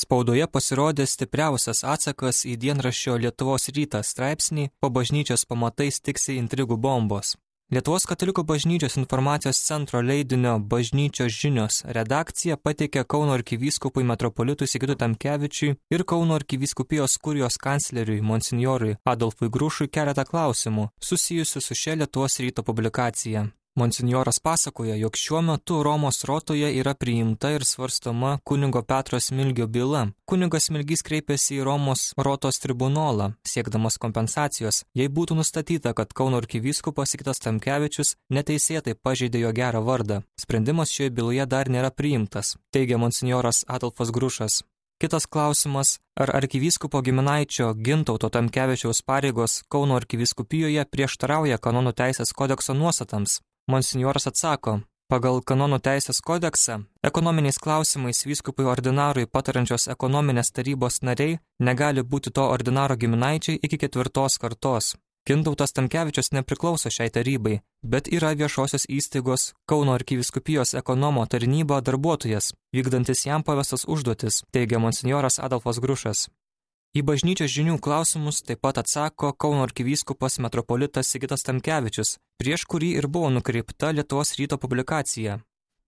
Spaudoje pasirodė stipriausias atsakas į dienraščio Lietuvos rytas straipsnį "Po bažnyčios pamatais tiksi intrigų bombos". Lietuvos katalikų bažnyčios informacijos centro leidinio Bažnyčios žinios redakcija pateikė Kauno arkivyskupui metropolitui Sigitui Tamkevičiui ir Kauno arkivyskupijos kurijos kancleriui monsinjorui Adolfui Grušui keletą klausimų susijusių su šia Lietuvos ryto publikacija. Monsinjoras pasakoja, jog šiuo metu Romos rotoje yra priimta ir svarstoma kunigo Petro Smilgio byla. Kunigas Smilgys kreipėsi į Romos rotos tribunolą, siekdamas kompensacijos, jei būtų nustatyta, kad Kauno arkivyskupas Sigitas Tamkevičius neteisėtai pažeidė jo gerą vardą. Sprendimas šioje byloje dar nėra priimtas, teigia monsinjoras Adolfas Grušas. Kitas klausimas, ar arkivyskupo giminaičio Gintauto Tamkevičiaus pareigos Kauno arkivyskupijoje prieštarauja kanonų teisės kodekso nuostatams? Monsinjoras atsako, pagal kanonų teisės kodeksą, ekonominiais klausimais vyskupui ordinarui patarančios ekonominės tarybos nariai negali būti to ordinaro giminaičiai iki 4 kartos. Gintautas Tamkevičius nepriklauso šiai tarybai, bet yra viešosios įstaigos Kauno arkivyskupijos ekonomo tarnyba darbuotojas, vykdantis jam pavestas užduotis, teigia monsinjoras Adolfas Grušas. Į Bažnyčios žinių klausimus taip pat atsako Kauno arkivyskupas metropolitas Sigitas Tamkevičius, prieš kurį ir buvo nukreipta Lietuvos ryto publikacija.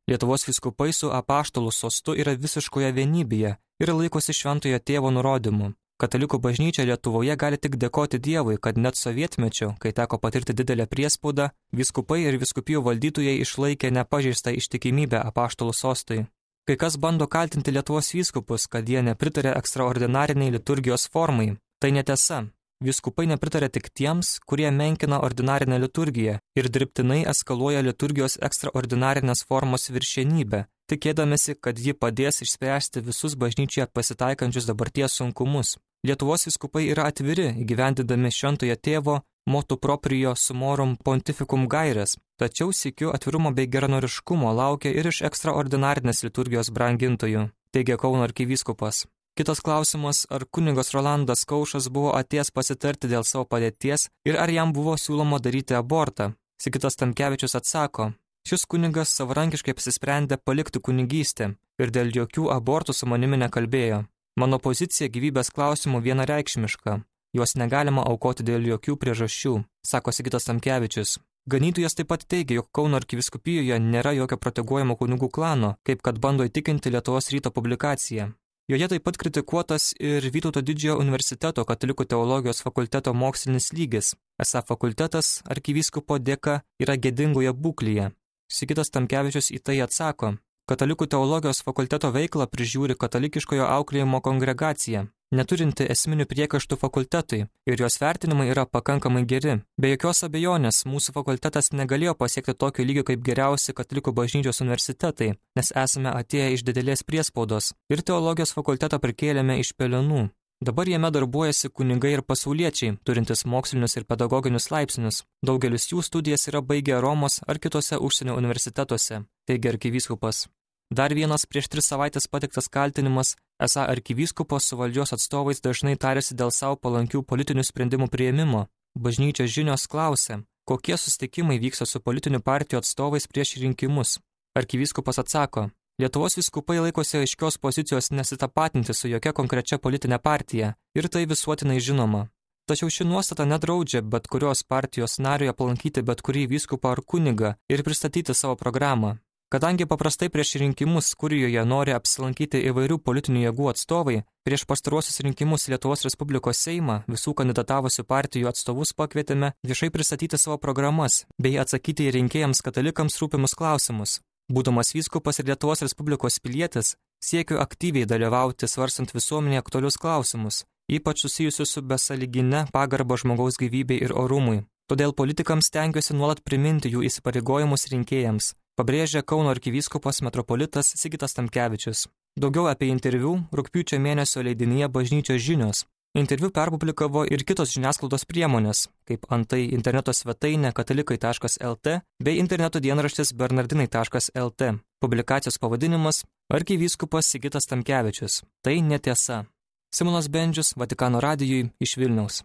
Lietuvos vyskupai su apaštalų sostu yra visiškoje vienybėje ir laikosi šventojo tėvo nurodymų. Katalikų bažnyčia Lietuvoje gali tik dėkoti Dievui, kad net sovietmečiu, kai teko patirti didelę priespaudą, vyskupai ir vyskupijų valdytojai išlaikė nepažeistą ištikimybę apaštalų sostui. Kai kas bando kaltinti Lietuvos vyskupus, kad jie nepritarė ekstraordinariniai liturgijos formai. Tai netiesa. Vyskupai nepritarė tik tiems, kurie menkina ordinarinę liturgiją ir dirbtinai eskaluoja liturgijos ekstraordinarinės formos viršenybę, tikėdamėsi, kad ji padės išspręsti visus bažnyčioje pasitaikančius dabarties sunkumus. Lietuvos vyskupai yra atviri, įgyvendindami šventojo tėvo motu proprio sumorum pontificum gaires, tačiau sykiu atvirumo bei geranoriškumo laukia ir iš ekstraordinarinės liturgijos brangintojų, teigia Kauno arkivyskupas. Kitas klausimas, ar kunigas Rolandas Kaušas buvo atėjęs pasitarti dėl savo padėties ir ar jam buvo siūloma daryti abortą. Sigitas Tamkevičius atsako, šis kunigas savarankiškai apsisprendė palikti kunigystę ir dėl jokių abortų su manimi nekalbėjo. Mano pozicija gyvybės klausimų vienareikšmiška. Juos negalima aukoti dėl jokių priežasčių, sako Sigitas Tamkevičius. Ganytojas taip pat teigia, jog Kauno arkivyskupijoje nėra jokio proteguojamo kunigų klano, kaip kad bando įtikinti Lietuvos ryto publikacija. Joje taip pat kritikuotas ir Vytauto Didžiojo universiteto katalikų teologijos fakulteto mokslinis lygis. Esą fakultetas arkivyskupo dėka yra gėdingoje būklėje. Sigitas Tamkevičius į tai atsako, katalikų teologijos fakulteto veiklą prižiūri katalikiškojo auklėjimo kongregacija, neturinti esminių priekaištų fakultetui, ir jos vertinimai yra pakankamai geri. Be jokios abejonės, mūsų fakultetas negalėjo pasiekti tokio lygio kaip geriausi katalikų bažnyčios universitetai, nes esame atėję iš didelės priespaudos ir teologijos fakultetą prikėlėme iš pelenų. Dabar jame darbuojasi kunigai ir pasauliečiai, turintis mokslinius ir pedagoginius laipsnius. Daugelis jų studijas yra baigę Romos ar kitose užsienio universitetuose, teigia arkivyskupas. Dar vienas prieš 3 savaitės pateiktas kaltinimas, esą arkivyskupas su valdžios atstovais dažnai tarėsi dėl savo palankių politinių sprendimų priėmimo. Bažnyčios žinios klausė, kokie susitikimai vyksta su politinių partijų atstovais prieš rinkimus. Arkivyskupas atsako, Lietuvos vyskupai laikosi aiškios pozicijos nesitapatinti su jokia konkrečia politinė partija ir tai visuotinai žinoma. Tačiau ši nuostata nedraudžia bet kurios partijos nariui aplankyti bet kurį vyskupą ar kunigą ir pristatyti savo programą. Kadangi paprastai prieš rinkimus kurijoje nori apsilankyti įvairių politinių jėgų atstovai, prieš pastaruosius rinkimus Lietuvos Respublikos Seimą visų kandidatavusių partijų atstovus pakvietėme viešai pristatyti savo programas bei atsakyti į rinkėjams katalikams rūpimus klausimus. Būdamas vyskupas ir Lietuvos Respublikos pilietis, siekiu aktyviai dalyvauti svarstant visuomenėje aktualius klausimus, ypač susijusius su besąlygine pagarba žmogaus gyvybei ir orumui. Todėl politikams stengiuosi nuolat priminti jų įsipareigojimus rinkėjams, pabrėžia Kauno arkivyskupas metropolitas Sigitas Tamkevičius. Daugiau apie interviu rugpjūčio mėnesio leidinyje Bažnyčios žinios. Interviu perpublikavo ir kitos žiniasklaidos priemonės, kaip antai interneto svetainė katalikai.lt bei interneto dienraštis bernardinai.lt. Publikacijos pavadinimas Arkivyskupas Sigitas Tamkevičius. Tai netiesa. Simonas Bendžius, Vatikano radijui iš Vilniaus.